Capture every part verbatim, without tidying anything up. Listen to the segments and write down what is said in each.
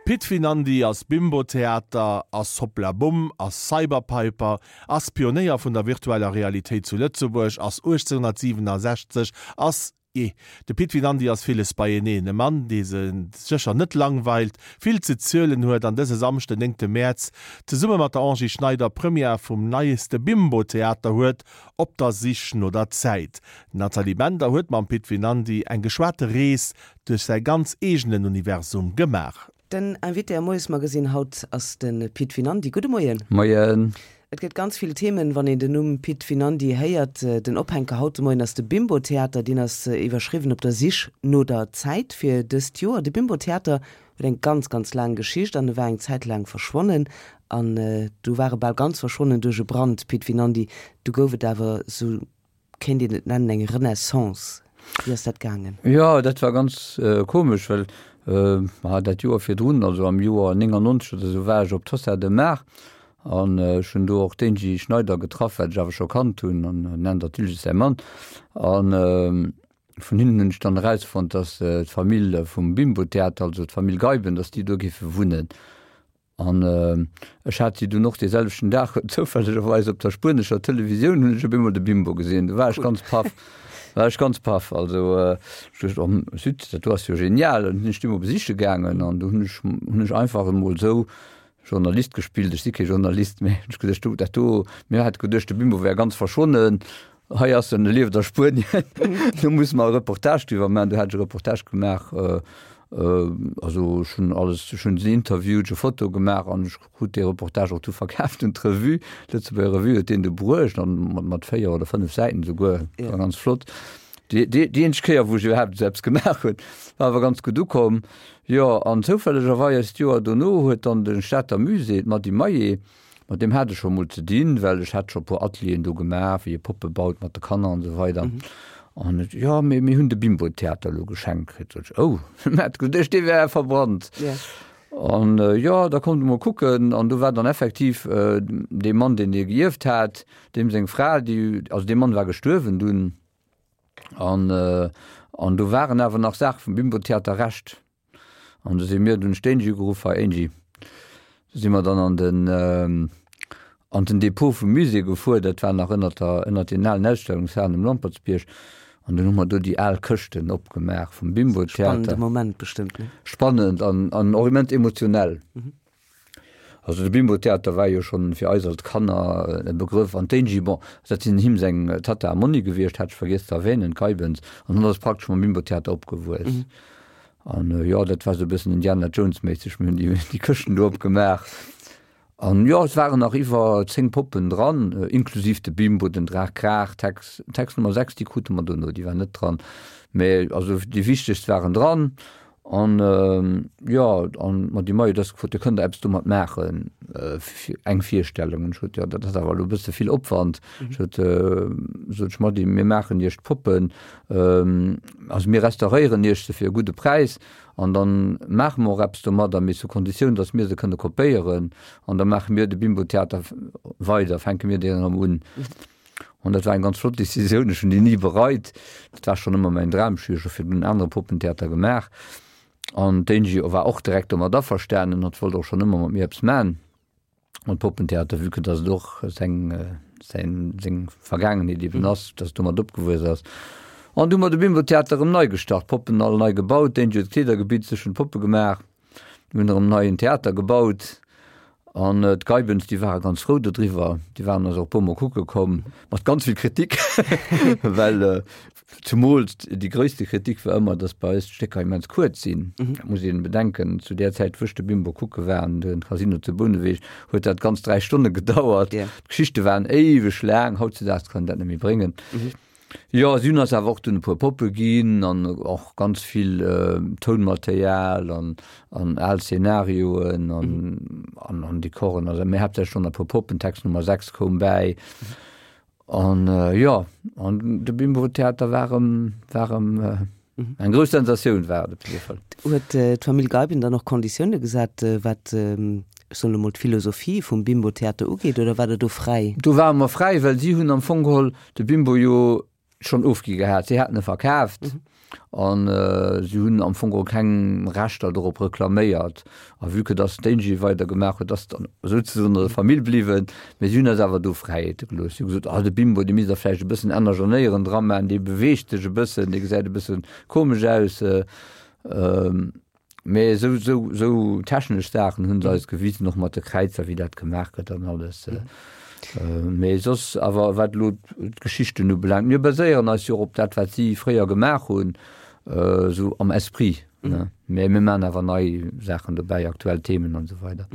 Pit Vinandy ass Bimbo-Theater, ass Hoppla Bumm, ass Cyberpiper, ass Pionéier vun der virtueller Realitéit zu Lëtzebuerg, ass uechtzénhunnertsiwenasechzeg, ass. Jee, de Pit Vinandy ass villes beieneen. E Mann, dee se sécher net langweilt, vill ze zielen huet an dëse Samschden, néngte Mäerz, zesumme mat der Angie Schneider Première vum neieste Bimbo-Theater huet, Op der Sich no der Zäit. D'Nathalie Bender huet mam Pit Vinandy eng geschwate Rees duerch säi ganz eegenen Universum gemaach. Den Invité am Moiesmagazine haut ass de Pit Vinandy. Gudde Moien. Moien. Et gëtt ganz vill Themen, wann een den Numm Pit Vinandy héiert. Den Ophänker haut de Moien ass de Bimbo Theater. Deen ass iwwerschriwwen Op der Sich no der Zäit fir dëst Joer. De Bimbo Theater huet eng ganz, ganz laang Geschicht an e war eng Zäit laang verschwonnen. An du war e bal ganz verschwonnen duerch e Brand, Pit Vinandy. Du gouf et awer, sou kéint een et nennen, eng Renaissance. Wéi ass dat gaangen? Jo, dat war ganz komesch, well dat Joer virdrun, also am Joer néngannonzeg oder sou, war ech op Tossa de Mar an ech hunn do och d'Angie Schneider getraff, wat ech awer scho kannt hunn, an den Änder Thilges säi Mann. An vun hinnen hunn ech dann erausfonnt, dass d'Famill vum Bimbo-Theater, also d'Famill Geiben, dass déi do géife wunnen. An ech hat si dunn och dee selwechten Dag zoufällegerweis op der spuenescher Televisioun hunn ech op eemol de Bimbo gesinn. Do war ech ganz paff, war ech ganz paff. Also ech duecht, oh zut, dat do ass jo genial. An dunn sinn ech déi mol besiche gaangen an do hunn ech, hunn ech einfach emol esou Journalist gespillt. Ech si kee Journalist, mä hunn ech geduecht, do, dat do, mir hat geduecht, de Bimbo wär ganz verschwonnen. Hei ass en, e lieft a Spuenien, do musse mer e Reportage driwwer maachen. Do hat ech e Reportage gemaach, also ech hunn alles, ech hunn se interviewt, ech hu Fotoe gemaach an ech krut dee Reportage och du verkaaft un d'Revue, d'Lëtzebuerger Revue huet deen du bruecht an mat mat véier oder fënnef Säiten esouguer, war ganz flott. Déi déi déi eenzeg Kéier wou ech iwwerhaapt esou eppes gemaach hunn, war awer ganz gutt ukomm. Jo, an zoufällegerweis d'Joer dono huet dann de Stater Musée, d'Mady Maillet, Mat deem hat ech scho mol ze dinn, well ech hat scho e puer Atelieren do gemaach, wéi ee Poppe baut mat de Kanner an esou weider. An et, jo, mee mir hunn de Bimbo-Theater elo geschenkt kritt. Sot ech, oh, mir hat geduecht, dee wär verbrannt. An jo, da kommt emol kucken. An do war dann effektiv dee Mann, deen dee geierft hat, deem seng Fra, déi, also dee Mann war gestuerwen dunn. An, an do waren awer nach Saache vum Bimbo-Theater Rescht. An du si mir dunn d'Angie geruff, hei Angie, du si mer dann an den an den Depot vum Musée gefuer, dat war nach ënnert der ënnert den alen Ausstellungshalen um Lampertsbierg, an dunn hu mer do déi al Këschten opgemaach vum Bimbo-Theater. Spannende Moment bestëmmt, ne? Spannend an an och immens emotionell. Also de Bimbo-Theater war jo schonn fir eis als Kanner e Begrëff. An d'Angie, bon, dat sinn him seng Tatta a Monni gewiescht, hat ech vergiess ze erwähnen, d'Geibens, an hatt ass praktesch mam Bimbo-Theater opgewuess. An jo, dat war sou e bëssen Indiana Jones-méisseg, mir hunn déi, déi Këschten do opgemaach. An jo, et waren nach iwwer zéng Poppen dran, inklusiv de Bimbo, den Draach Krach, d'Hex, d'Hex Nummer sechs, déi krute mer dono, déi war net dran. Mä also déi wichtegst waren dran. An jo, an ma déi Majo, dass gefrot, Dir kënnt der eppes domat maachen, eng Virstellung. An ech sot, jo, dat ass awer elo e bësse vill Opwand. Ech sot, sot ech, Mady, mir maachen Iech d'Poppen, also mir restauréieren Iech se fir e gudde Präis an dann maache mer och eppes domadder, mee zur Konditioun, dass mir se kënne kopéieren an da maache mir de Bimbo-Theater weider, fänke mir deen erëm un. An dat war eng ganz flott Decisioun, ech hunn déi ni bereit. Dat war schonn ëmmer mäin Dram, ech hu jo scho virdrun en anere Poppentheater gemaach. An d'Angie war och direkt domat averstanen, hatt wollt och schonn ëmmer mat mir eppes man mat Poppentheater, vue que dass et och seng, säin, seng Vergaangenheet eben ass, dass domat opgewuess ass. An du hu mer de Bimbo-Theater erëm nei gestart, d'Poppen all nei gebaut, d'Angie huet d'Kleeder gebitzt, ech hunn d'Poppe gemaach. Mir hunn erëm neien Theater gebaut an d'Geibens, déi ware ganz frou dodriwwer. Déi waren eis och e puermol kucke komm, mat ganz vill Kritik, well zumools déi gréisste Kritik war ëmmer, datt bei eis d'Stécker immens kuerz sinn. Dat muss een bedenken, zu där Zäit, wou ech de Bimbo kucke war an de Casino zu Bouneweg, huet dat Ganzt dräi Stonne gedauert. D'Geschichte waren éiweg laang, hautzedaags kann een dat net méi bréngen. Jo, si hunn eis awer och dunn e puer Poppe ginn an och ganz vill Tounmaterial an an al Szenarioen an an an Dekoren, also mee haaptsächlech schonn e puer Poppen, Text Nummer sechs koum bäi an jo, an de Bimbo-Theater war erëm war erëm eng grouss Sensatioun war et op jidde Fall. Huet d'Famill Geiben dann och Konditioune gesat, wat, ech soen elo mol, d'Philosophie vum Bimbo-Theater ugeet, oder war der do fräi? Do ware mer fräi, well si hunn am Fong geholl de Bimbo jo schonn ofgi gehat. Si haten e verkaaft An si hunn am Fong och keng Rechter dorop reklaméiert. A vue que dass d'Angie weider gemaach huet, ass et dann souzesoen an der Famill bliwwen. Mee si hunn eis awer do Fräiheete gelooss. Si hu gesot, Ah, de Bimbo, dee misst Der vläicht e bëssen Ennerjonéieren dra maachen, dee beweegt sech e bëssen, dee gesäit e bësse komesch aus. Mee esou, esou, esou technesch Saachen hunn se eis gewisen, och mat de Kräizer, wéi dat gemaach gëtt an alles. Mee soss awer, wat elo d'Geschichten ubelaangt, mir baséieren eis jo och op dat, wat si fréier gemaach hunn, esou am Esprit, ne. Mee mir maachen awer nei Saachen dobäi, aktuell Themen an esou weider.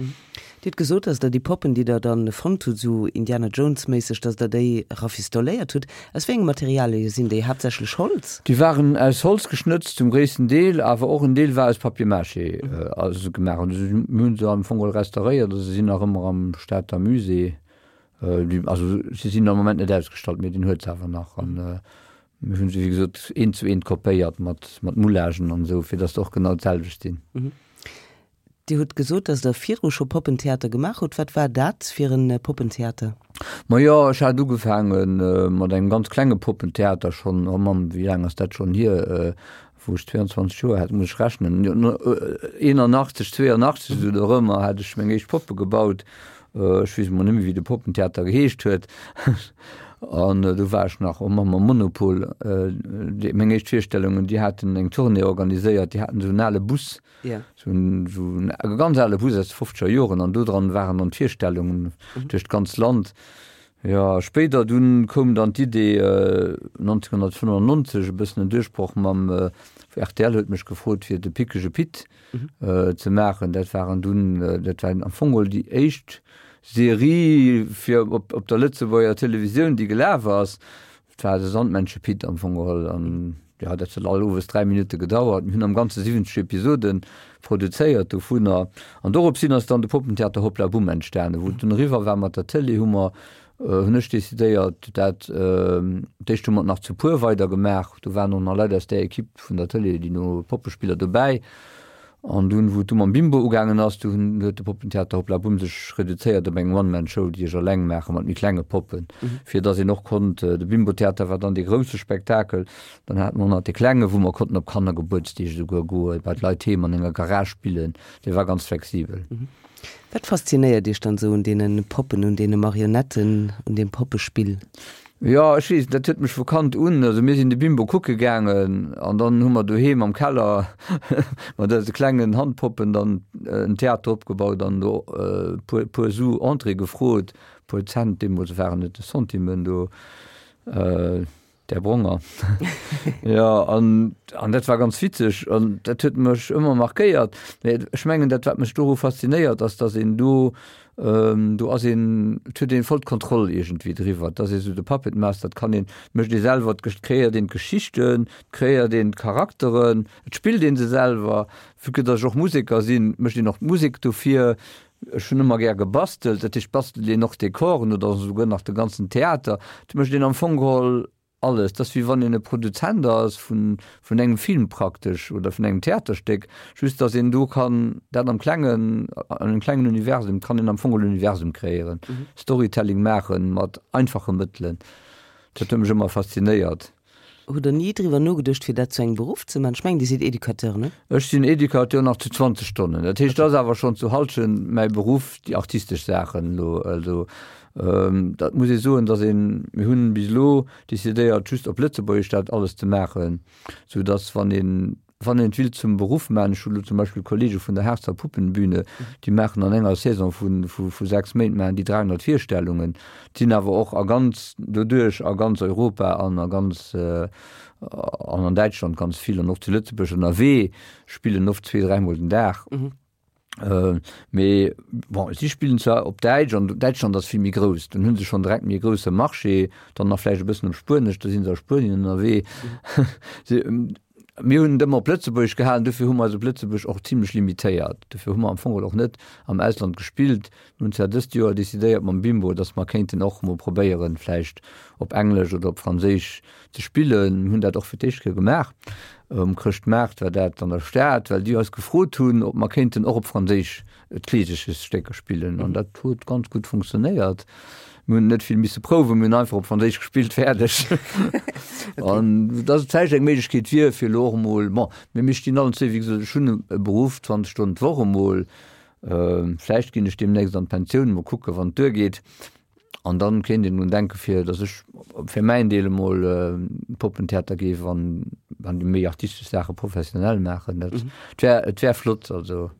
Dir hutt gesot, datt Der déi Poppen, déi Der dann fonnt hutt, esou Indiana Jones-méisseg, datt Der déi rafistoléiert hutt. Aus wéi enge Materialie sinn déi? Haaptsächlech Holz? Déi waren aus Holz geschnëtzt zum gréissten Deel, awer och en Deel war aus Papier-mâché also gemaach. An mir hunn se am Fong geholl restauréiert a se sinn nach ëmmer am Stater Musée. Also se sinn am Moment net ausgestallt, mee deen huet se awer nach. An mir hunn se, wéi gesot, eent zu eent kopéiert mat mat Moulagen an esou, fir datt se och genau d'selwecht sinn. Dir hutt gesot, datt Der virdru scho Poppentheater gemaach hutt. Wat war dat fir e Poppentheater? Majo, ech hat ugefaange mat engem ganz klenge Poppentheater schonn, oh Mamm, wéi laang ass dat schonn hier? Wou ech zweeanzwanzeg Joer hat, muss ech rechnen, eenanachtzeg, zweeanachtzeg, esou dorëmmer, hat ech meng éischt Poppe gebaut. Ech weess emol net méi, wéi de Poppentheater geheescht huet. An do war ech nach am Monopol. Meng éischt Virstellungen, déi haten eng Tournée organiséiert, déi haten esou en ale Bus, esou en ganz ale Bus aus de fofzeger Joren, an do dran waren dann d'Virstellungen duerch d'ganz Land. Jo, spéider dunn koum dann d'Idee, nonzénhunnertfënnefannonzeg, e bëssen en Duerchbroch mam rtl huet mech gefrot fir de Pickege Pit ze maachen. Dat waren dunn, dat war am Fong geholl déi éischt Serie fir op op der Lëtzebuerger Televisioun, déi gelaf ass. Et war de Sandmännche Pit am Fong geholl an jo, dat huet all owes dräi Minutte gedauert. Mir hunn am Ganze siwwenzeg Episode produzéiert dovunner. An dorops hin ass dann de Poppentheater Hoppla Bumm entstanen. Wou et dunn eriwwer war mat der Tëlee, hu mer, hunn ech decidéiert, dat, d'éischt hu mer et nach zu puer weider gemaach, do waren och nach Leit aus där Equipe vun der Tëlee, déi no Poppespiller dobäi. An dunn, wou et du mam Bimbo ugaangen ass, du hunn, huet de Poppentheater Hoppla Bumm sech reduzéiert op eng One-Man-Show, déi ech eleng maache mat méi klenge Poppen, fir dass een och konnt, de Bimbo-Theater war dann dee grousse Spektakel, dann hate mer och nach dee klenge, wou mer konnten op Kannergebuertsdeeg esouguer goen, bei d'Leit heem an enger Garage spillen, dee war ganz flexibel. Wat faszinéiert Iech dann esou un deene Poppen, un deene Marionetten, un deem Poppespill? Jo, ech weess, dat huet mech vu Kand un, also mir sinn de Bimbo kucke gaangen an dann hu mer doheem am Keller mat eise klengen Handpoppen dann en Theater opgebaut an do e puer, puer Su Entrée gefrot, puer Cent, deemools waren et Centimen do, där bronger. Jo, an, an dat war ganz witzeg an dat huet mech ëmmer markéiert. Mee ech mengen, dat wat mech doru faszinéiert ass, datt een do, Do ass een, et huet een voll d'Kontroll iergendwéi driwwer. Et ass ee sou de Puppet Master, et kann een, et mécht ee selwer, et kreéiert een d'Geschichten, et kreéiert een d'Charakteren, et spillt een se selwer. Vu que datt ech och Museker sinn, mécht een och d'Musek dofir. Ech hunn ëmmer gär gebastelt, dat heescht, bastelt een och d'Dekoren oder esouguer nach de ganzen Theater. Et mécht een am Fong geholl Alles. Et ass wéi wann een e Produzent ass vun vun engem Film praktesch oder vun engem Theaterstéck, just datt een do kann dat am klengen, an engem klengen Universum kann een am Fong en Universum kreéieren, Storytelling maachen mat einfache Mëttelen. Dat huet mech ëmmer faszinéiert. Hutt Der ni driwwer nogeduecht fir dat zu engem Beruff ze maachen? Ech mengen Dir sidd Educateur, ne? Ech sinn Educateur nach zu zwanzeg Stonnen. Dat heescht, dat ass awer schonn zu Halschent mäi Beruff, déi artistesch Saachen elo. Also Dat muss ee soen, datt een, mir hunn bis elo décidéiert just op Lëtzebuergesch dat alles ze maachen, sou datt wann een, wann een et willt zum Beruff maachen, ech hunn elo zum Beispill Kollege vun der Harzer Puppenbühne, déi maachen an enger Saison vu, vu, vu sechs Méint maachen déi dräihonnert Virstellungen, sinn awer och a ganz, doduerch a ganz Europa an a ganz, an an Däitschland ganz vill an och zu Lëtzebuerg ënnerwee, spillen oft zwee, dräimol den Dag. Mee bon, si spillen zwar op Däitsch an Däitschland ass vill méi grouss, dann hu se schonn direkt méi e grousse Marché, dann nach vläicht e bëssen op Spuenesch, da si se a Spuenien ënnerwee. Mir hunn et ëmmer op Lëtzebuergesch gehalen, dofir hu mer eis op Lëtzebuerg och zimlech limitéiert. Dofir hu mer am Fong och net am Ausland gespillt. Mir hunn zwar dëst Joer decidéiert mam Bimbo, datt mer kéinten och mol probéieren, vläicht op Englesch oder op Franséisch ze spillen. Mir hunn dat och fir d'éischt Kéier gemaach. Um Chrëschtmaart war dat an der Stad, well déi eis gefrot hunn, ob mer kéinten och op Franséisch d'Kleeseches-Stécker spillen. An dat huet ganz gutt funktionéiert. Mir hunn net vill misse prouwen, mir hunn einfach op Franséisch gespillt, fäerdeg. An dass et vläicht eng Méiglechkeet wier, fir elo och emol, bon, mee mir stinn allen zwee, wéi gesot, ech hunn e Beruff, zwanzeg Stonnen d'Woch emol, vläicht ginn ech deemnächst an d'Pensioun, mol kucken, wann et duergeet. An dann kéint een drun denken, fir dass ech fir mäin Deel emol Poppentheater géif an an déi méi artistesch Saache professionell maachen. Dat wär, et wär flott, also.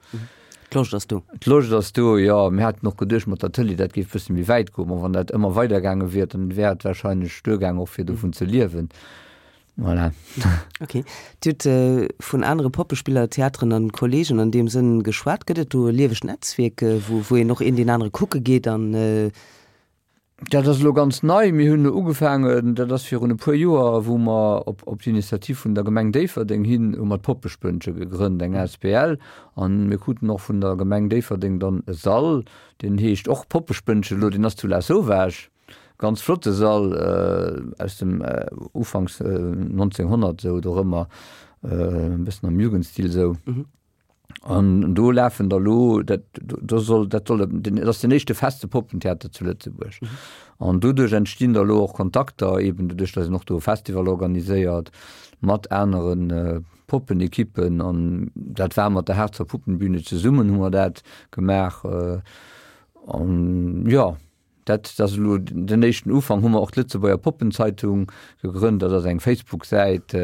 D'Loscht ass do. D'Loscht ass do, jo. Mir haten och geduecht mat der Tëlee, dat géif e bësse méi wäit goen. Bon, wann dat ëmmer weidergaange wier, dann wär et warscheinlech duergaang och fir dovun ze liewen. Voilà. Ok. Dir hutt vun anere Poppespiller, Theateren an Kolleegen an deem Sënn geschwat. Gëtt et do e liewegt Netzwierk, wou wou een och een deen anere kucke geet an. Dat ass elo ganz nei. Mir hunn elo ugefaangen, dat ass virun e puer Joer, wou mer op op d'Initiativ vun der Gemeng Déifferdeng hin, hu mer d'Poppespënnche gegrënnt, eng asbl. An mir kruten och vun der Gemeng Déifferdeng dann e Sall, deen heescht och Poppespënnche elo, deen ass zu Lasauvage. Ganz flotte Sall aus dem Ufanks neunzehnhundert esou dorëmmer, e bëssen am Jugendstil esou. An do lafen der elo, dat do soll, dat soll, dat ass den éischte feste Poppentheater zu Lëtzebuerg. An doduerch entstinn der elo och Kontakter, eben doduerch, datt een och do e Festival organiséiert mat anere Poppenekippen. An dat war mat der Harzer Puppenbühne zesummen hu mer dat gemaach. An jo. Dat ass elo den éischten Ufank. Hu mer och d'Lëtzebuerger Poppenzeitung gegrënnt. Dat ass eng Facebook-Säit,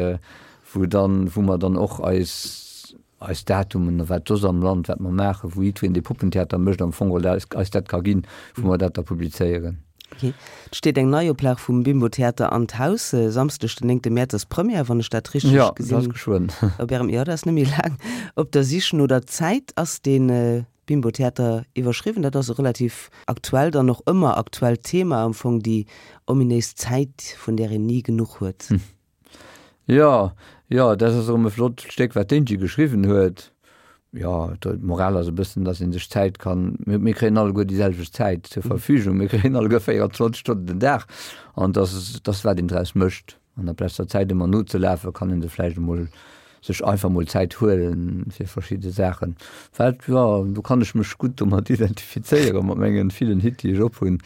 wou dann, wou mer dann och eis, eis Datumen a wat soss am Land, wat mer maachen, wou jiddwereen, dee Poppentheater mécht, am Fong geholl eis, eis dat ka ginn, wou mer dat da publizéieren. Ok. Et steet eng Neioplag vum Bimbo-Theater an d'Haus. E Samsdeg, den néngte Mäerz ass Première, wann ech dat richteg Jo, dat gesinn ass geschwënn. Op Ärem, jo, dat ass net méi laang. Op der Sich no der Zäit ass dee Bimbo Theater iwwerschriwwen. Dat ass e relativ aktuellt an och ëmmer aktuellt Thema am Fong, déi ominéis Zäit, vun där een ni genuch huet. Jo, jo, dat ass erëm e flott Stéck, wat d'Angie geschriwwen huet. Jo, d'Moral ass e bëssen, datt ee sech Zäit kann, mir, mir kréien alleguer déi selwecht Zäit zur Verfügung, mir kréien alleguer véierundzwanzeg Stonnen den Dag an dass, dass wat een draus mécht. An amplaz der Zäit ëmmer nozelafen, kann een se vläicht emol sech einfach mol Zäit huelen fir verschidde Saachen. Wat, jo, do kann ech mech gutt domat identifizéieren, mat mengen villen Hitt, déi ech op hunn.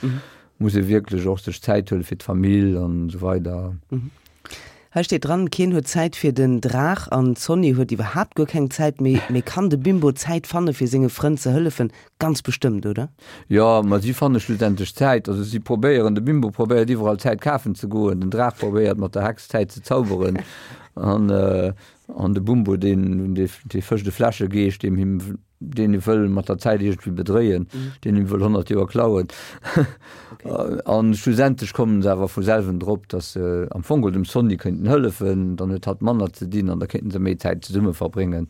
Muss ee wierklech och sech Zäit huele fir d'Famill an esou weider. Hei steet dran, Keen huet Zäit fir den Draach an d'Sonny huet iwwerhaapt guer keng Zäit méi. Mee kann de Bimbo Zäit fanne fir senge Frënn ze hëllefen? Ganz bestëmmt, oder? Jo, ma si fanne schlussendlech Zäit. Also si probéieren, de Bimbo probéiert iwwerall Zäit kafen ze goen, den Draach probéiert mat der Hex Zäit ze zauberen an an de Bumbo deen dee fëscht e Fläschegeescht, deem him deen e wëll mat der Zäit iergendwéi bedréien, deen him wëll honnert Joer klauen. An schlussendlech kommen se awer vu selwen drop, datt se am Fong geholl dem Sonny kéinten hëllefen, dann huet hatt manner ze dinn an da kéinten se méi Zäit zesumme verbréngen.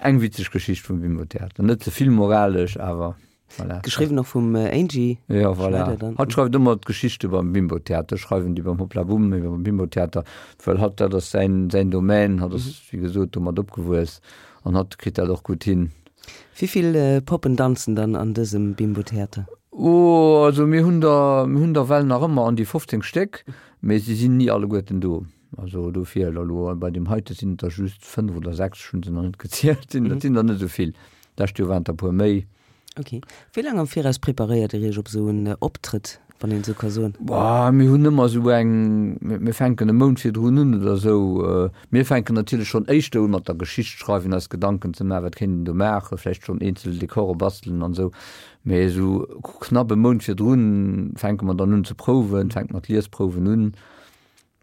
Eng witzeg Geschicht vum Bimbo Theater. Net ze vill moralesch, awer voilà. Geschriwwen och vum Angie Ja, voilà. Schneider dann. Hatt schreift ëmmer d'Geschichte beim Bimbo Theater. Ech schreiwen déi beim Hoppla Bumm, mee beim Bimbo Theater, well hatt, dat ass säin, säin Domaine, hatt ass, wéi gesot, domat opgewuess an hatt kritt dat och gutt hin. Wéi vill Poppen danzen dann an dësem Bimbo Theater? Oh, also mir hunn der, mir hunn der well nach ëmmer an déi fofzéng Stéck, mee si sinn ni alleguerten do. Also dofir elo bei deem heite sinn et der just fënnef oder sechs, ech hunn se nach net gezielt, sinn dat sinn der net esou vill. D'lescht Joer waren et der e puer méi. Ok. Wéi laang am Viraus preparéiert Dir Iech op esou en Optrëtt, wann een esou ka soen? Boah, mir hunn ëmmer esou eng, mir fänken e Mount virdrun un oder esou. Mir fänken natierlech schonn éischter un mat der Geschicht schreiwen, eis Gedanken ze maachen, wat kéint een do maachen, vläicht schonn eenzel Dekore bastelen an esou. Mee esou knapp e Mount virdrun fänke mer dann un ze prouwen, fänke mer d'Liesprouwen un.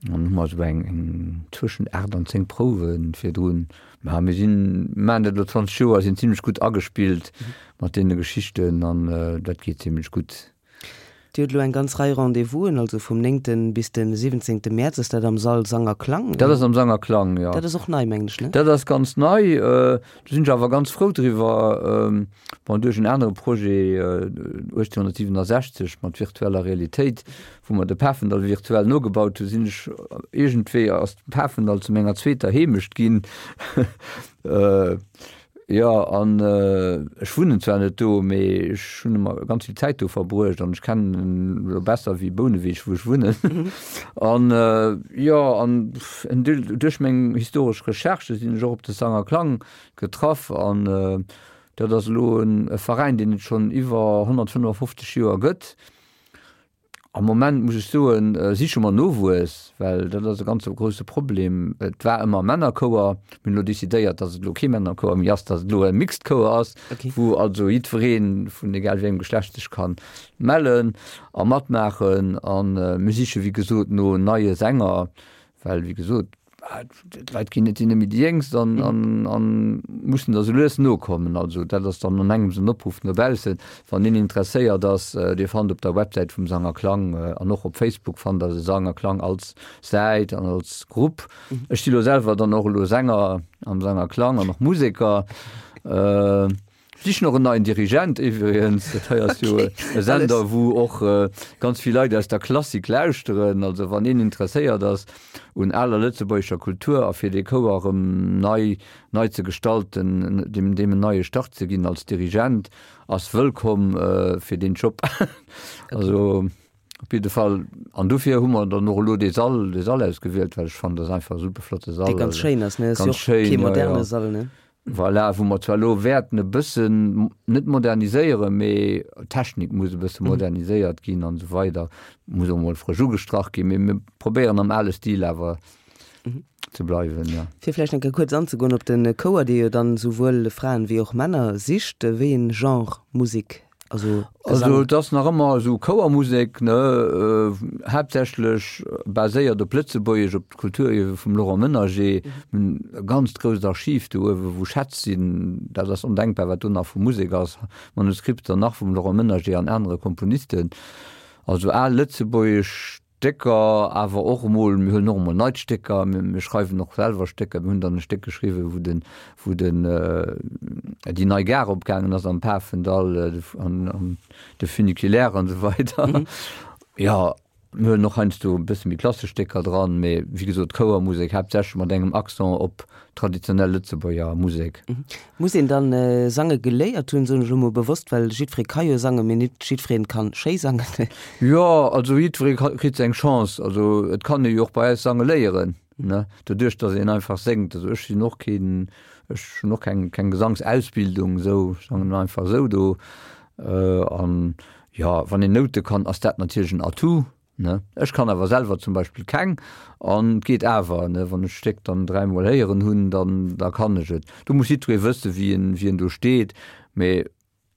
Dann hu mer esou eng eng zwëschen aacht an zéng Prouwe virdrun. Mä mir sinn, mir maachen dat elo zwanzeg Joer, sinn zimlech gutt agespillt mat deene Geschichten an dat geet zimlech gutt. Dir hutt elo eng ganz Rei Rendez-vousen, also vum néngte bis de siwwenzéngte Mäerz ass dat am Sall Sang a Klang. Dat ass am Sang a Klang, jo. Dat ass och nei, mengen ech, ne? Dat ass ganz nei. Do sinn ech awer ganz frou driwwer. Bon, duerch en anere Projet uechtzénhunnertsiwenasechzeg mat virtueller Realitéit, wou mer de Pafendall virtuell nogebaut hunn, sinn ech iergendwéi ass de Pafendall zu menger zweeter Heemecht ginn. Jo, an ech wunnen zwar net do, mee ech hunn ëmmer ganz vill Zäit do verbruecht an ech kennen en elo besser wéi Bouneweg, wou ech wunnen. An jo, an en Deel duerch meng historesch Recherchë sinn ech och op de Sang a Klang getraff an dat ass elo e Veräin, deen et schonn iwwer honnertfënnefafofzeg Joer gëtt. Am Moment muss ech soen, siche mer Nowuess, well dat ass e ganz grousse Problem. Et war ëmmer Männerchouer. Mir hunn elo decidéiert, datt et elo kee Männerchouer méi ass, datt et elo e Mixed Chouer ass, wou also jiddweree vun egal wéi engem Geschlecht sech ka mellen a matmaachen. A mir siche wéi gesot no neie Sänger, well wéi gesot, D'Leit ginn net sinn net méi déi Jéngst an, an, an mussen da sou lues nokommen. Also dat ass dann an engems en Opruff no baussen, wann een interesséiert ass. Dir fannt op der Websäit vum Sang a Klang an och op Facebook fannt der de Sang a Klang als Säit an als Grupp. Ech si lo selwer dann och elo Sänger am Sang a Klang an och Museker. Sichen och en neien Dirigent iwwregens. Dat hei ass jo e Sender, wou och ganz vill Leit aus der Klassik lauschteren. Also wann een interesséiert ass un aler lëtzebuergescher Kultur a fir dee Chouer erëm nei nei ze gestalten, deem deem en neie Start ze ginn als Dirigent, ass wëllkomm fir deen Job. Also op jidde Fall. An dofir hu mer dann och elo dee Sall, dee Sall ausgewielt, well ech fannen, dat ass einfach e super flotte Sall. Dee ganz schéin ass, ne? Ganz schéin, jo, jo. Kee jo. moderne Sall, ne? Voilà, wou mer zwar elo wäerten e bëssen, net moderniséieren, mee d'Technik muss e bësse moderniséiert ginn an esou weider, muss och emol frësch ugestrach ginn, mee mir probéieren am ale Stil awer ze bleiwen, jo. Fir vläicht eng Kéier kuerz anzegoen op de Chouer, dee jo dann esouwuel Fraen wéi och Männer sicht, wéi een Genre Musek Also, also et ass nach ëmmer esou Chouermusek, ne, haaptsächlech baséiert op Lëtzebuergesch, op d'Kulturierwe vum Laurent Menager. Mir hunn e ganzt grousst Archiv do uewe wou Schätz sinn, dat ass ondenkbar wat do nach vu Musek ass, Manuskripter nach vum Laurent Menager an anere Komponisten. Also al lëtzebuergesch Stécker, awer och emol, mir huelen och emol nei Stécker, mir schreiwen och selwer Stécker. Mir hunn dann e Stéck geschriwwen, wou den, wou den, déi nei Gare opgaangen ass am Pafendall, an, an de Funiculaire an esou weider. Jo, mir huelen och heiansdo e bësse méi klassesch Stécker dran, mee wéi gesot Chouermusek haaptsächlech mat engem Accent op traditionell Lëtzebuerger Musek. Muss een dann sange geléiert hunn, soen ech elo mol bewosst, well jiddweree ka jo sangen, mee nit jiddwereen kann schéi sangen. Jo, also jiddweree kritt seng Chance. Also et kann ee jo och bei eis sange léieren, ne, doduerch datt een einfach séngt. Also ech sinn och keen, ech hunn och keng keng Gesangsausbildung esou, ech sangen einfach esou do. An jo, wann een Noute kann, ass dat natierlech en Atout. Ne? Ech kann awer selwer zum Beispill keng an et geet awer, ne, wann ech d'Stéck dann dräimol héieren hunn, dann da kann ech et. Do muss jiddweree wësse wéi en wéi en do steet, mee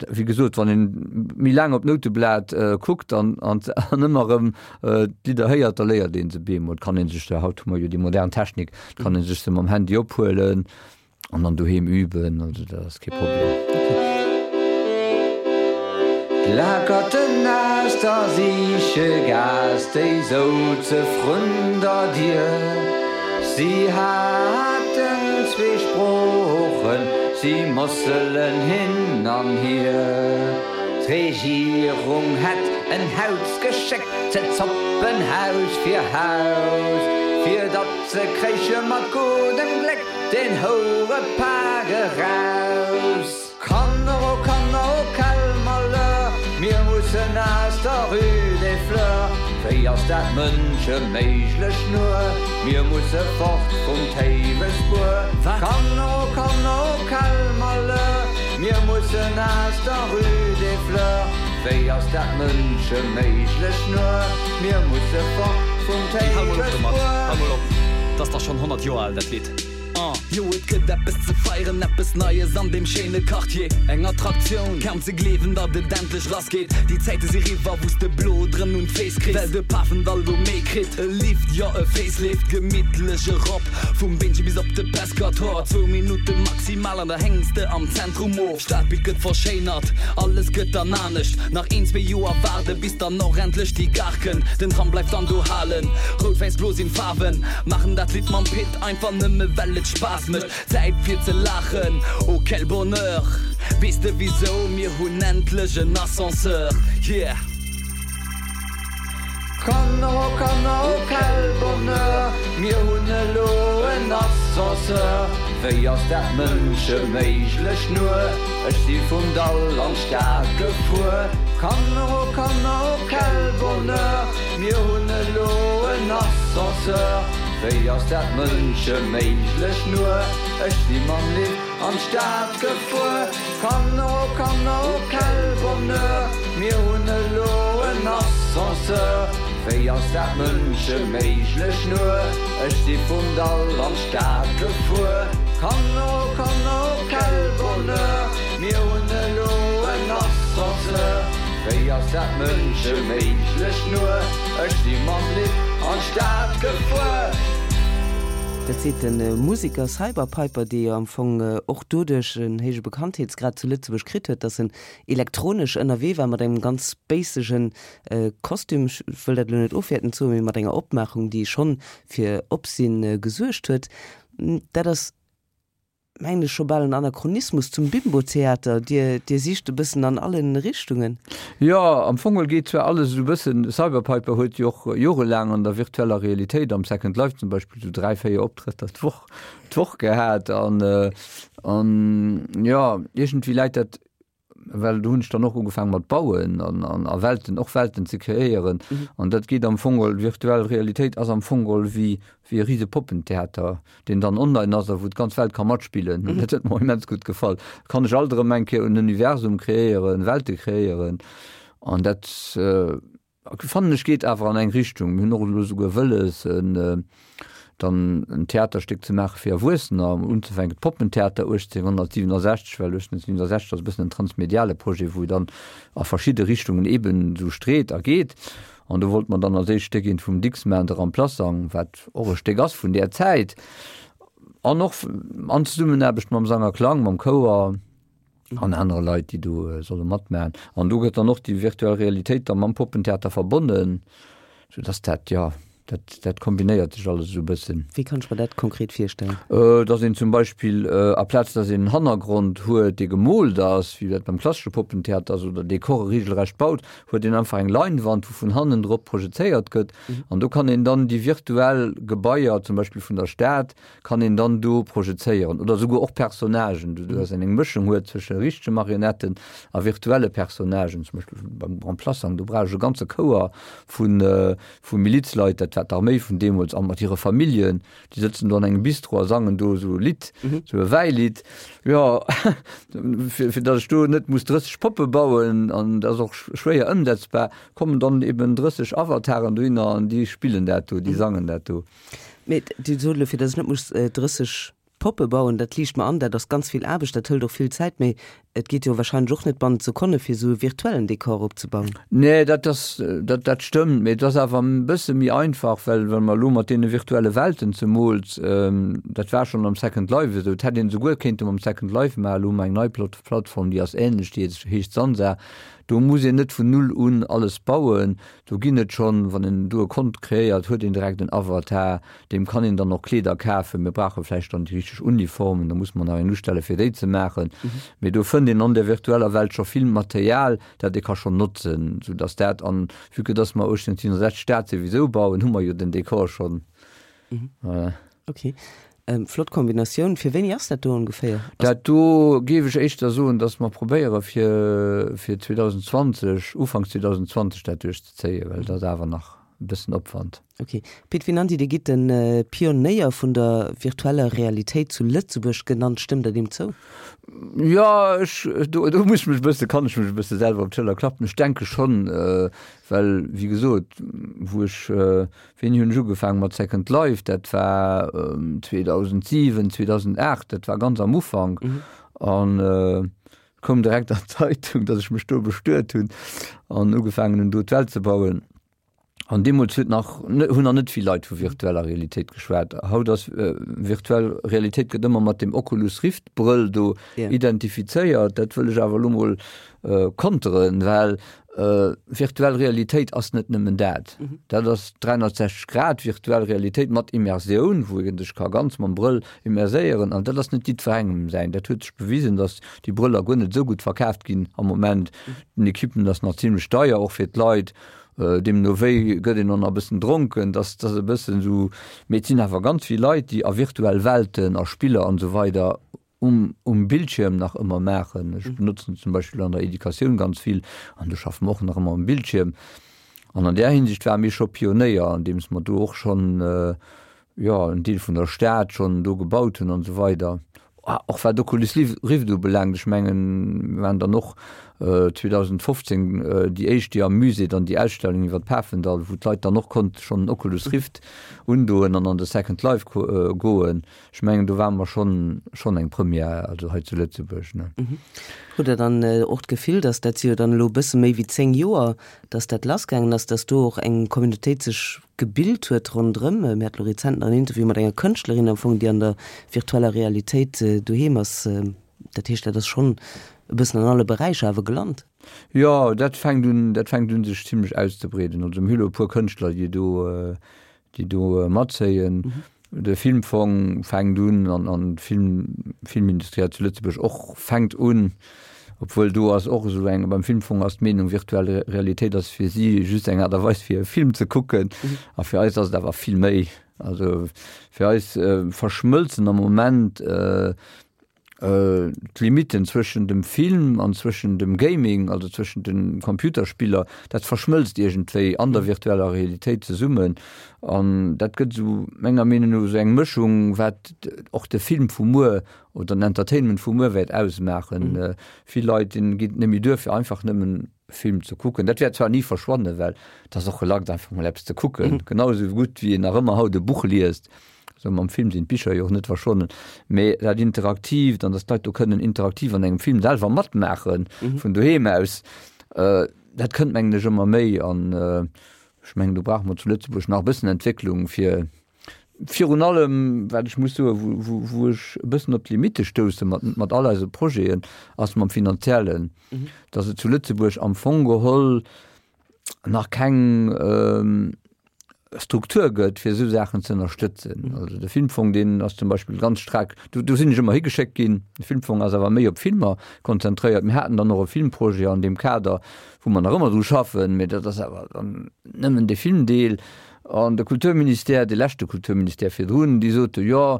wéi gesot, wann een méi laang op d'Nouteblat kuckt an an an ëmmer erëm d'Lidder héiert, da léiert ee se bemol. Et kann ee sech se, haut hu mer jo déi modern Technik, et kann ee sech se mam Handy ophuelen. An dann doheem üben, also dat ass kee Problem. D'Lakerten aus der Siichegaass, déi souze vrun der Dier. Si haten zwee Sproochen, si mosselen hin an hier. D'Regierung hätt en Hauz geschéckt, ze zoppen Haus fir Haus, fir datt se kréiche mat guddem Gléck. Den Hourepak eraus! Kanner, oh Kanner, oh quel Malheur, mir mussen aus der Rue des Fleurs. Wéi ass dat mënscheméiglech nur, mir musse fort vum Théiwesbuer. Kanner, oh Kanner, oh quel Malheur, mir mussen aus der Rue des Fleurs. Wéi ass dat mënscheméiglech nur, mir musse fort vum Théiwesbuer. Hal mol op, 't ass dach schonn honnert Joer al, dat Lidd. Jo, et gëtt eppes ze feieren, eppes Neies an deem schéine Quartier. Eng Attraktioun, kaum ze gleewen, datt et endlech lass geet. Déi Zäite si riwwer, wou s de Bloderen un d'Féiss kriss, well de Pafendall lo méi kritt. E Lift, jo e Facelift, gemittlech erop vum Bénche bis op de Pescator. Zwou Minutte maximal an da hänks de am Zentrum of. D'Stadbild gëtt verschéinert, alles gëtt dann anescht. Nach een, zwee Joer waarde bis dann och endlech déi Gare kënnt. Den Tram bleift dann do halen, rout, wäiss, blo sinn d'Faarwen, maachen dat Lidd mam Pit. Einfach nëmme well et Spaass mécht, Zäit fir ze laachen, oh quel bonheur! Weess de wisou? Mir hunn endlech en Ascenseur, yeah! Kanner, oh Kanner, oh quel bonheur, mir hunn elo en Ascenseur. Wéi ass dat mënscheméiglech nur? Ech si vum Dall an d'Stad gefuer. Kanner, oh Kanner, oh quel bonheur, mir hunn elo en Ascenseur. Wéi ass dat mënscheméiglech nur? Ech si mam Lift an d'Stad gefuer. Kanner, oh Kanner, oh quel Bonheur, mir hunn elo en Ascenseur. Ascenseur. Wéi ass dat mënscheméiglech nur? Ech si vum Dall an d'Stad gefuer. Kanner, oh Kanner, oh quel Bonheur, mir hunn elo en Ascenseur. Wéi ass dat mënscheméiglech nur? Ech si mam Lift an d'Stad gefuer. Dat seet de Museker Cyber Piper, dee jo am Fong och doduerch en héije Bekanntheetsgrad zu Lëtzebuerg kritt huet, datt en elektronesch ënnerwee war mat engem ganz spacegen Kostüm, ech wëll dat elo net ofwäertend soen, mee mat enger Opmaachung, déi schonn fir Opsinn gesuergt huet. Dat ass, mengen ech, scho bal en Anachronismus zum Bimbo-Theater. Dir, dir sicht e bëssen an allen Richtungen. Jo, am Fong geet zwar alles esou e bëssen, Cyber Piper huet jo och jorelaang an der virtueller Realitéit, am Second Life zum Beispill, esou dräi, véier Optrëtter d'Woch, d'Woch gehat an, an jo, iergendwéi läit dat, well do hunn ech dann och ugefaangen mat bauen an, an a Welten, och Welten ze kreéieren an dat geet am Fong geholl, virtuell Realitéit ass am Fong geholl wéi, wéi e rise Poppentheater, deen dann online ass a wou d'ganz Welt ka matspillen. Dat huet mer immens gutt gefall. Kann ech alt erëm eng Kéier en Universum kreéieren, Welte kreéieren an dat fannen ech geet awer an eng Richtung. Mir hunn och elo souguer wëlles en dann en Theaterstéck ze maache fir Erwuessener, unzefänken d'Poppentheater uechtzénhonnertsiwenundsechzeg, well uechtzénhonnertsiwenundsechzeg ass e bëssen en transmediale Projet, wou dann a verschidde Richtungen eeben esou street a geet. An do wollte mer dann als éischt Stéck eent vum Dicks maachen, De Remplaçant, wat och e Stéck ass vun där Zäit an och an Zesummenaarbecht mam Sang a Klang, mam Chouer an anere Leit, déi do solle matmaachen. An do gëtt dann och déi virtuell Realitéit da mam Poppentheater verbonnen, soudass dat, jo, dat, dat kombinéiert sech alles esou e bëssen. Wéi kann ech mer dat konkret virstellen? Dass een zum Beispill, aplaz dass een en Hannergrond huet, dee gemoolt ass, wéi dat beim klassesche Poppentheater ass, oder Dekore regelrecht baut, huet een einfach eng Leinwand, wou vun hannen drop projezéiert gëtt. An do kann een dann déi virtuell Gebaier, zum Beispill vun der Stad, kann een dann do projezéieren. Oder souguer och Personnagen, esou dass een eng Mëschung huet zwësche richtege Marionetten a virtuelle Personnagen. Zum Beispill beim Grand Plassang, do brauch ech e ganze Chouer vu vu Milizleit, dat war d'Arméi vun deemools, a mat hire Familljen, déi sëtzen do an engem Bistro a sangen do esou e Lidd, esou e Wäilidd. Jo, fir, fir datt ech do net muss drësseg Poppe bauen, an dat ass och schwéier ëmsetzbar, kommen dann eben drësseg Avataren dohinner an déi spillen dat do, déi sangen dat do. Mee Dir sot elo, fir datt ech net muss drësseg Poppe bauen, dat liicht mer an, dat ass ganz vill Aarbecht, dat hëlt och vill Zäit, mee et geet jo wahrscheinlech och net bannent Sekonne fir esou e virtuellen Dekor opzebauen. Nee, dat ass, dat, dat stëmmt, mee et ass awer e bësse méi einfach, well, well mer elo mat deene virtuelle Welten zemools, dat war schonn am Second Life esou, et hätt een esouguer kéinte mam Second Life maachen, elo hu mer eng nei Plattform, déi ass änlech, déi heescht Sansa, do muss een net vun null un alles bauen, Do ginn et schonn, wann een do e Kont kreéiert, huet een direkt en Avatar, deem kann een dann och Kleeder kafen. Mir brauche vläicht dann déi richteg Uniformen, da muss mer nach een ustelle fir déi ze maachen. Mee do fënnt een an der virtueller Welt scho vill Material, dat ee ka schonn notzen, soudass dat, an vue que dass mer uechtzénhundertsiewenundsechzeg d'Stad souwisou bauen, hu mer jo den Dekor schonn. Voilà. Ok. Flott Kombinatioun. Fir wéini ass dat do ongeféier? Dat do géif ech éischter soen, datt mer probéiere fir fir zweedausendzwanzeg, Ufanks zweedausendzwanzeg dat duerchzezéien, well et ass awer nach e bëssen Opwand. Ok. Pit Vinanti, Dir gitt de Pionéier vun der virtueller Realitéit zu Lëtzebuerg genannt. Stëmmt Der deem zou? Jo, ech, do do muss ech mech e bësse, kann ech mech e bësse selwer op d'Schëller klappen. Ech denke schonn, well wéi gesot, wou ech, Wéini hunn ech ugefaangen mat Second Life? Dat war zweedausentsiwen, zweedausenaacht, dat war ganz am Ufank. An koum direkt an d'Zeitung, datt ech mech do bestuet hunn an ugefaangen hunn, do d'Welt ze bauen. An deemools huet nach, hunn nach net vill Leit vu virtueller Realitéit geschwat. Haut ass virtuell Realitéit gëtt ëmmer mat deem Oculus Rift Brëll do identifizéiert. Dat wëll ech awer elo mol konteren, well Virtuell Realitéit ass net nëmmen dat. Dat ass dräihonnertsechzeg Grad virtuell Realitéit mat Immersioun, wou een sech ka ganz mam Brëll immerséieren. An dat ass net jiddwerengem säin. Dat huet sech bewisen, datt déi Brëller guer net esou gutt verkaaft ginn am Moment. Den Equipement ass nach zimlech deier, och fir d'Leit. Deemno wéi gëtt een och nach e bëssen dronken. Dat ass e bëssen esou. Mee et sinn awer ganz vill Leit, déi a virtuell Welten, a Spiller an esou weider um um Bildschierm nach ëmmer maachen. Ech benotzen zum Beispill an der Educatioun ganz vill an do schaffe mer och nach ëmmer um Bildschierm. An an där Hinsicht ware mir scho Pionéier, andeems mer do och schonn, jo, en Deel vun der Stad schonn do gebaut hunn an esou weider. Och wat Oculus Rift ubelaangt, ech mengen, mir waren dann och zweedausendfofzéng déi éischt, déi am Musée dann déi Ausstellung iwwer Pafendall, wou d'Leit dann och konnte schonn en Oculus Rift undoen an an de Second Life goen. Ech mengen, do ware mer schonn, schonn eng Première, also hei zu Lëtzebuerg, ne. Hutt Der dann och d'Gefill, dass, dat si jo dann elo e bësse méi wéi zéng Joer, dass dat lassgaangen ass, dass do och eng Communautéit sech gebilt huet ronderëm? Mir hate lo rezent nach en Interview mat enger Kënschtlerin am Fong, déi an der virtueller Realitéit doheem ass. Dat heescht, dat ass schonn e bëssen an alle Beräicher awer gelant. Jo, dat fänkt un, dat fänkt un sech zimlech auszebreeden. Also mir hu lo e puer Kënschtler, déi do, déi do matzéien. De Filmfong fänkt un an an d'Film, Filmindustrie hei zu Lëtzebuerg och fänkt un, obwuel do ass och esou eng, beim Filmfong ass d'Meenung, virtuell Realitéit ass fir si just eng Aart a Weis fir e Film ze kucken a fir eis ass et awer vill méi. Also fir eis verschmëlzen am Moment d'Limitten zwëschen dem Film an zwëschen dem Gaming, also zwëschen de Computerspiller, dat verschmëlzt iergendwéi an der virtueller Realitéit zesummen. An dat gëtt esou menger Meenung no esou eng Mëschung, wat och de Film vu muer oder den Entertainment vu muer wäert ausmaachen. Vill Leit, deenen geet et net méi duer, fir einfach nëmmen e Film ze kucken. Dat wäert zwar ni verschwannen, well et ass och relax, einfach mol eppes ze kucken, genau esou gutt wéi een nach ëmmer haut e Buch liest. Sou mam Film sinn d'Bicher jo och net verschwonnen, mee dat Interaktiivt an dass d'Leit do kënnen interaktiv an engem Film selwer matmaachen vun doheem aus, dat kënnt mengen ech ëmmer méi an ech mengen do brauche mer zu Lëtzebuerg nach e bëssen Entwécklung fir virun allem wat ech muss soen, wou wou wou ech e bëssen op d'Limitte stousse mat mat all eise Projeten, ass mam Finanziellen, dass et zu Lëtzebuerg am Fong geholl nach keng Struktur gëtt, fir esou Saachen ze ënnerstëtzen. Also de Filmfong, deen ass zum Beispill ganz staark, do, do sinn ech ëmmer higeschéckt ginn. De Filmfong ass awer méi op Filmer konzentréiert. Mir haten dann och e Filmprojet an deem Kader, wou mer nach ëmmer dru schaffen, mee dat ass awer dann nëmmen de Filmdeel. An de Kulturministère, dee leschte Kulturministère virdrun, déi sote jo,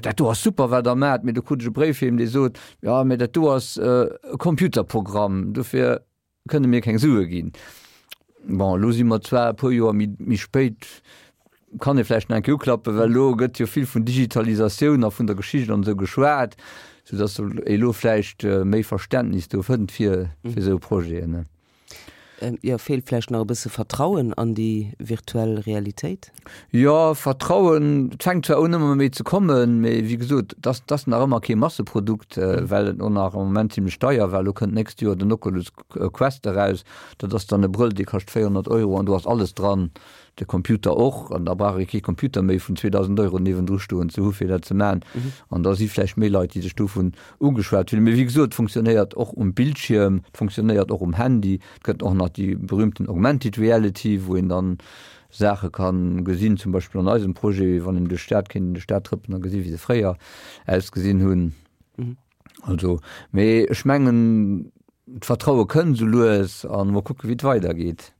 dat do ass super, wat Der maacht, mee do krut ech e Bréif heem, dee sot, jo, mee dat do ass e Computerprogramm, dofir kënne mir keng Sue ginn. Bon, elo si mer zwar e puer Joer méi, méi spéit, kann ee vläicht nach eng Kéier uklappen, well elo gëtt jo vill vun Digitalisatioun a vun der Geschicht an esou geschwat, soudass ee elo vläicht méi Verständnis do fënnt fir, fir esou Projeten. Jo, feelt vläicht nach e bësse Vertrauen an déi virtuell Realitéit? Jo, Vertrauen, et fänkt zwar un ëmmer méi ze kommen, mee wéi gesot, et ass, et ass nach ëmmer kee Masseprodukt, well et och nach am Moment zimlech deier war. Elo kënnt d'nächst Joer den Oculus Quest eraus, dat ass dann e Brëll, dee kascht véierhonnert Euro an do ass alles dran, de Computer och, an da brauch ee kee Computer méi vun zweedausend Euro niewendru stoen ze hu fir dat ze maachen. An da si vläicht méi Leit, déi sech dovun ugeschwat fillen. Mee wéi gesot, et funktionéiert och um Bildschierm, et funktionéiert och um Handy, et gëtt och nach déi berühmten Augmented Reality, wou een dann Saache ka gesinn, zum Beispill an eisem Projet, wann een duerch d'Stad kéint een duerch d'Stad trëppelen a gesi wéi se fréier ausgesinn hunn. Also, mee ech mengen, d'Vertraue kënnt esou lues a mol kucke wéi et weidergeet.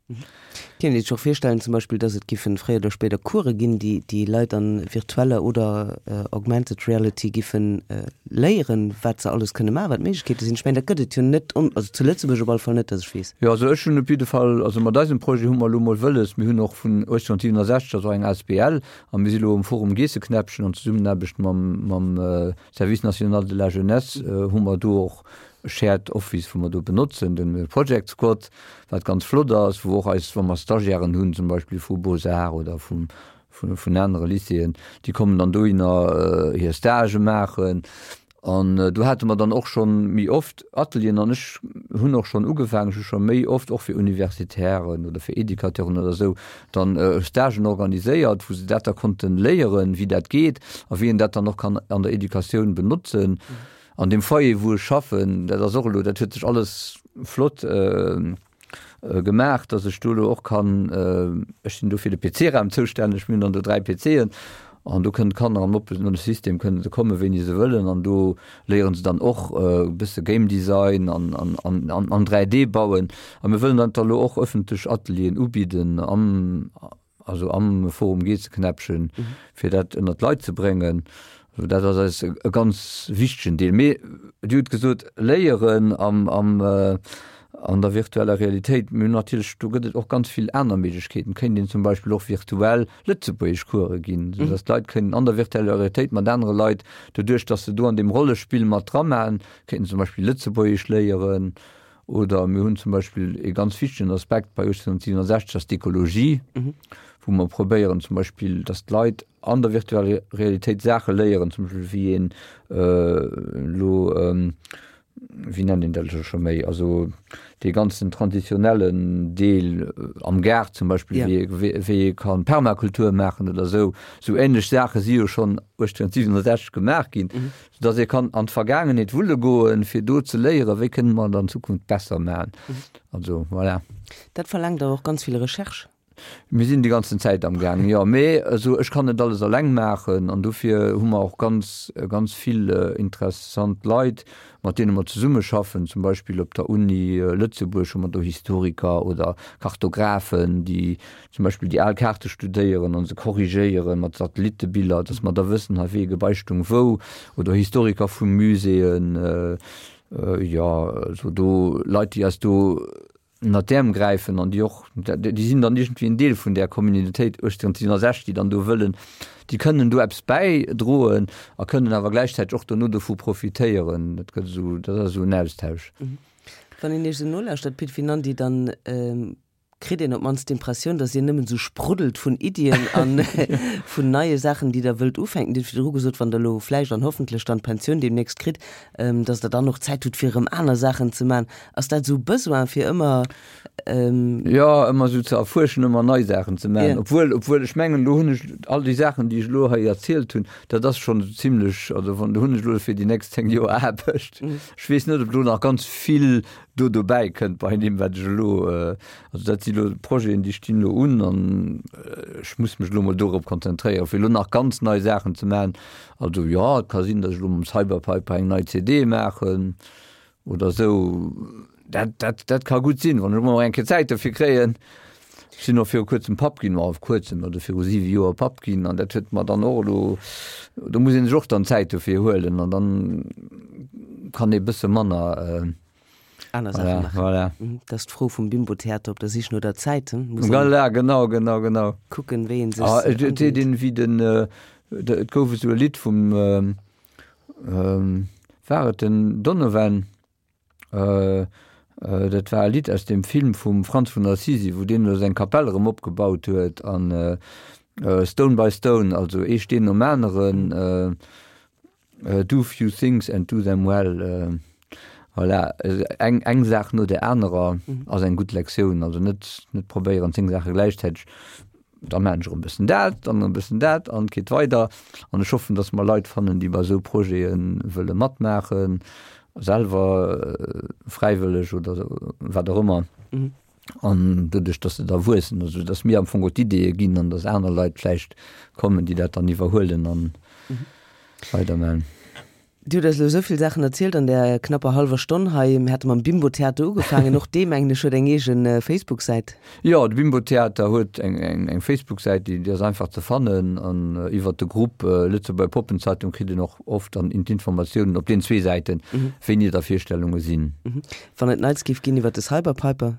Kéint een sech och virstellen zum Beispill, datt et giffen fréier oder spéider Course ginn, déi déi Leit an virtueller oder augmented reality giffen léieren, wat se alles kënne maachen, wat d'Méiglechkeete sinn? Ech mengen, dat gëtt et jo net, also zu Lëtzebuerg op alle Fall net, datt ech weess. Jo, also ech hunn op jidde Fall, also mat eisem Projet hu mer elo mol wëlles, mir hunn och vun achtzehnhundertsiewenundsechzeg also eng asbl a mir si elo um Forum Geesseknäppchen an Zesummenaarbecht mam mam Service national de la jeunesse hu mer do och e Shared Office, wou mer do benotzen, de Project Squad, wat ganz flott ass, wou och eis, wa mer Stagiairen hunn, zum Beispill vu Beaux-Arts oder vum, vun, vun anere Lycéeën, déi kommen dann dohinner hir Stagë maachen. An do hate mer dann och schonn méi oft Atelieren an ech hunn och schonn ugefaangen, ech hu scho méi oft och fir Universitairen oder fir Educateuren oder esou dann Stagen organiséiert, wou se dat da konnten léieren, wéi dat geet a wéi een dat dann och kann an der Educatioun benotzen. An deem Foyer, wou ech schaffen, dat ass och elo, dat huet sech alles flott gemaach, dass ech do elo och kann, ech sinn do fir de P C-Raum zoustänneg, mir hunn dann do dräi P C'en an do kënnen d'Kanner am oppenen System kënnen se kommen, wéini se wëllen an do léieren se dann och e bësse Game Design an, an, an, an dräi D bauen. A mir wëllen dann elo och ëffentlech Atelieren ubidden am, also am Forum Geesseknäppchen, fir dat ënnert d'Leit ze bréngen. Also dat ass eis e ganz wichtegen Deel. Mee Dir hutt gesot, léieren am, am, an der virtueller Realitéit. Mir hunn natierlech, do gëtt et och ganz vill aner Méiglechkeeten. Et kéint een zum Beispill och virtuell Lëtzebuergeschcourse ginn, soudass d'Leit kënnen an der virtueller Realitéit mat anere Leit, doduerch datt se do an deem Rollespill mat dra maachen, kéinten zum Beispill Lëtzebuergesch léieren. Oder mir hunn zum Beispill e ganz wichtegen Aspekt bei achtzehnhundertsiebenundsechzeg ass d'Ekologie, wou mer probéieren zum Beispill, dass d'Leit an der virtueller Realitéit Saache léieren, zum Beispill wéi een elo, wéi nennt een dat elo scho méi, also dee ganzen transitionellen Deel am Gaart zum Beispill, wéi wéi ee kann Permakultur maachen oder esou. Esou ähnlech Saache si jo schonn achtzehnhundertsiebenundsechzeg gemaach ginn, soudass ee kann an d'Vergaangenheet wulle goen, fir do ze léieren, wéi kënne mer et an Zukunft besser maachen. Also voilà. Dat verlaangt awer och ganz vill Recherche. Mir sinn déi ganzen Zäit am gaangen, jo. Mee also ech kann net alles eleng maachen an dofir hu mer och ganz, ganz vill interessant Leit, mat deene mer zesummeschaffen. Zum Beispill op der Uni Lëtzebuerg hu mer do Historiker oder Kartografen, déi zum Beispill déi al Kaarte studéieren an se korrigéieren mat Satellitebiller, dass mer da wëssen, hei wéi ee Gebai stung wou. Oder Historiker vu Muséeën, jo, also do Leit, déi eis do ënnert d'Äerm gräifen an déi och, déi sinn dann iergendwéi en Deel vun där Communautéit achtzehnhundertsiebenundsechzeg, déi dann do wëllen, déi kënnen do eppes bäidroen a kënnen awer gläichzäiteg och dono dovu profitéieren. Dat gëtt esou, dat ass esou en Austausch. Wann een Iech esou nolauschtert, Pit Vinandy, dann kritt een op d'mannst d'Impressioun, datt Dir nëmmen esou spruddelt vun Iddien a vun neie Saachen, déi Der wëllt ufänken. Dir hutt virdru gesot, wann Der elo vläicht an hoffentlech dann d'Pensioun deemnächst kritt, datt Der dann och Zäit hutt, fir erëm aner Saachen ze maachen. Ass dat esou e Besoin, fir ëmmer. Jo, ëmmer esou ze erfuerschen, ëmmer nei Saachen ze maachen. Obwuel, obwuel ech mengen, elo hunn ech all déi Saachen, déi ech elo hei erzielt hunn, dat ass schonn esou zimlech, also wann, do hunn ech elo fir déi nächst zéng Joer Aarbecht. Ech weess net, ob do nach ganz vill do dobäi kënnt bei deem, wat ech elo, also dat si elo Projeten, déi stinn elo un an ech muss mech elo mol dorop konzentréieren, fir elo nach ganz nei Saachen ze maachen. Also jo, et ka sinn, datt ech elo mam Cyberpiper eng nei C D maachen oder esou. Dat, dat, dat ka gutt sinn, wann ech emol eng Kéier Zäit dofir kréien. Ech sinn och viru kuerzem Papp ginn, ma kuerzem, also viru siwe Joer Papp ginn an dat huet mer dann och elo, do muss ee sech och dann Zäit dofir huelen an dann kann ee bësse manner aner Saache Voilà, maachen. voilà. Dat ass d'Fro vum Bimbo-Theater op der Sich no der Zäit. Muss een Voilà, genau, genau, genau. kucken, wéi een sech Ah, et et seet andeelt. een, wéi den, et gouf esou e Lidd vum, war et den Donovan? Dat war e Lidd aus dem Film vum Franz vun Assisi, wou deen elo seng Kapell erëm opgebaut huet an Stone by Stone, also ee Steen nom aneren, Do few things and do them well. Voilà, eng, eng Saach no där anerer ass eng gutt Lektioun. Also net, net probéieren zéng Saache gläichzäiteg, da maachen ech erëm e bëssen dat, dann erëm e bëssen dat an et geet weider. An ech hoffen, datt mer Leit fannen, déi bei esou Projete wëlle matmaachen, selwer fräiwëlleg oder wat och ëmmer. An doduerch, datt se da wuessen, also datt mir am Fong och d'Ideeë ginn an datt aner Leit vläicht kommen, déi dat dann iwwerhuelen an weiderman. Dir hutt eis elo esou vill Saachen erzielt an där knapper hallwer Stonn hei. Mir hate mam Bimbo-Theater ugefaangen. Och dee, mengen ech, huet eng eege Facebook-Säit. Jo, de Bimbo-Theater huet eng Facebook-Säit, déi ass einfach ze fannen. An iwwert de Grupp Lëtzebuerger Poppenzeitung kritt een och oft dann d'Informatiounen op deenen zwee Säiten, wéini da Virstellunge sinn. Wann et Neits géif ginn iwwert de Cyberpiper?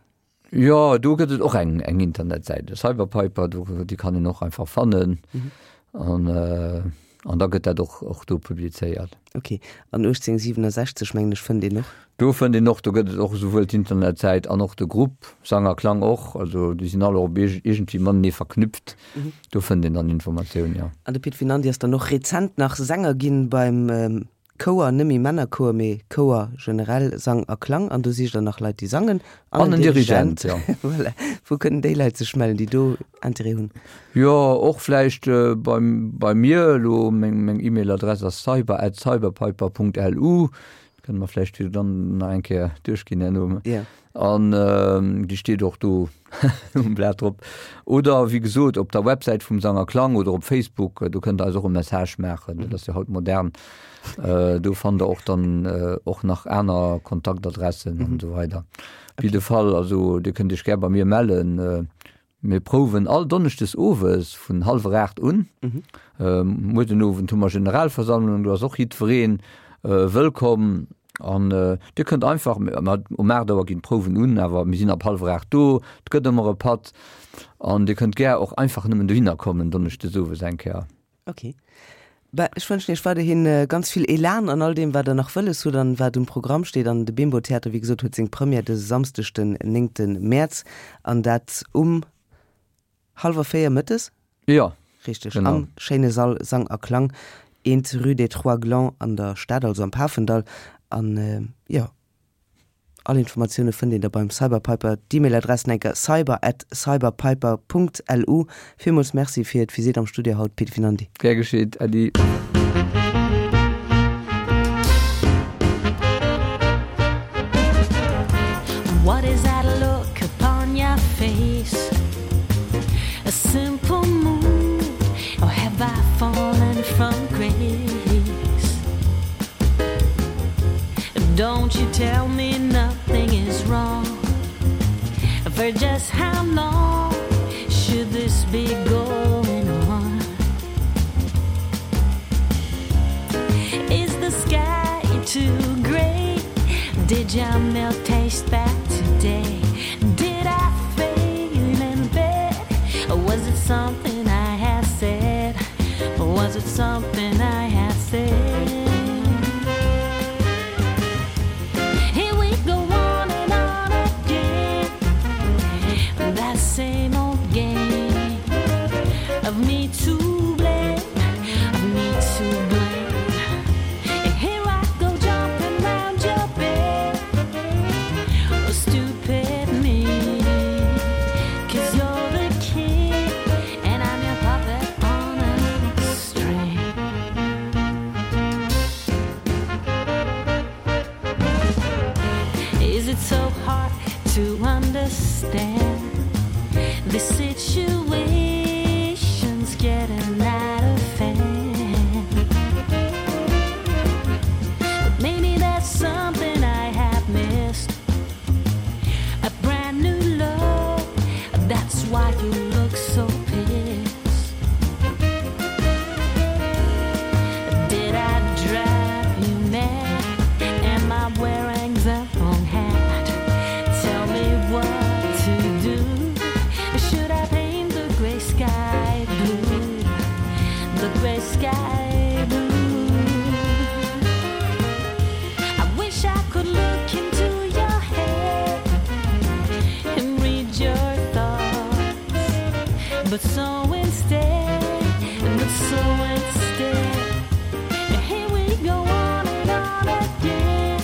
Jo, do gëtt et och eng eng Internetsäit, de Cyberpiper, do déi kann een och einfach fannen an an da gëtt dat och och do publizéiert. Ok, an uechtzéng siwenasechzeg mengen ech fënnt een och. Do fënnt een och, do gëtt et och esouwuel d'Internetsäit an och de Grupp Sang a Klang och, also déi sinn all och iergendwéi matenee verknüpft, do fënnt een dann Informatioun, jo. An de Pit Vinandy ass dann och rezent nach Sänger ginn beim Chouer, net méi Männerchouer, mee Chouer generell, Sang a Klang, an do sicht der nach Leit, déi sangen, an en Dirigent. Dirigent, jo. Voilà. Wou kënnen déi Leit sech mellen, déi do Interêt hunn? Jo, och vläicht bei, bei mir elo. Meng, meng E-Mail-Adress ass cyber at cyberpiper Punkt lu. Kënne mer vläicht fir dann nach eng Kéier duerchginn herno. Ja. An déi steet och do um Blat drop. Oder wéi gesot op der Websäit vum Sang a Klang oder op Facebook, do kënnt der eis och e Message maachen. Dat ass jo haut modern. Do fannt der och dann och nach aner Kontaktadressen an esou weider. Op jidde Fall, also Dir kënnt Iech gär bei mir mellen. Mir prouwen all Donneschdes owes vun hallwer aacht un. Muer den Owend hu mer Generalversammlung, do ass och jiddweree wëllkomm. An Dir kënnt einfach, um aacht Auer ginn d'Prouwen un, awer mir sinn ab hallwer aacht do, et gëtt ëmmer e Patt. An Dir kënnt gär och einfach nëmmen dohinner kommen, Donneschdes owes eng Kéier. Ok. Bah, ech wënschen Iech weiderhi ganz vill Elan an all deem, wat Der nach wëlles hutt an wat um Programm steet. An de Bimbo Theater, wéi gesot, huet seng Première dëse Samsdeg, den néngte Mäerz, an dat um hallwer véier mëttes? Jo, Richteg, genau. Am schéine Sall Sang a Klang, eent Rue des Trois Glands an der Stad, also am Pafendall. An jo. All Informatioune fënnt een da beim Cyberpiper. D'E-Mail-Adress nach eng Kéier, cyber at cyberpiper Punkt lu. Villmools Merci fir d'Visitt am Studio haut, Pit Vinandy. Gär geschitt, Äddi. What is that look upon your face? A simple mood, or have I fallen from grace? Don't you tell me nothing is wrong. For just how long should this be going on? Is the sky too gray? Did your milk taste bad today? Did I fail in bed? Or was it something I had said? Or was it something I had said? Here we go on and on again. That same old game of me to blame, of me to blame. And here I go jumping round your bed. Oh, stupid me. 'Cause you're the king and I'm your puppet on a string. Is it so hard to understand? The situation's getting out of hand. But maybe there's something I have missed. A brand new love, that's why you look so pissed. Did I drive you mad? Am I wearing the wrong hat? Tell me what to do. Should I paint the gray sky blue? The gray sky blue. I wish I could look into your head and read your thoughts. But so instead, but so instead, here we go on and on again.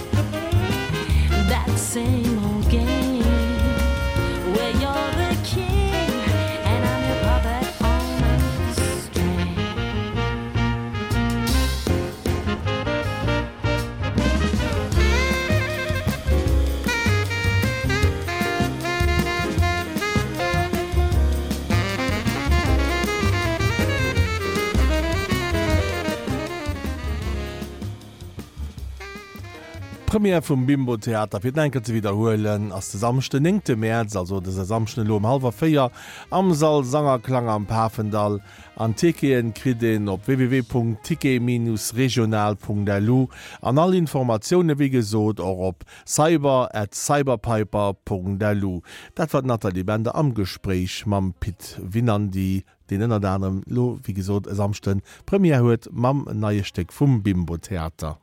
That same old game where you're the king and I'm your puppet on a string. D'Première vum Bimbo Theater, fir et nach eng Kéier ze widderhuelen, ass de Samschden, néngte Mäerz, also dëse Samschden elo um hallwer véier am Sall Sang a Klang am Pafendall. An Ticketen kritt een op www.ticket-regional.lu an all Informatioune wéi gesot och op cyber at cyberpiper.lu. Dat war d'Nathalie Bender am Gespréich mam Pit Vinandy, deen ënnert anerem elo wéi gesot e Samschden Première huet mam neie Stéck vum Bimbo Theater.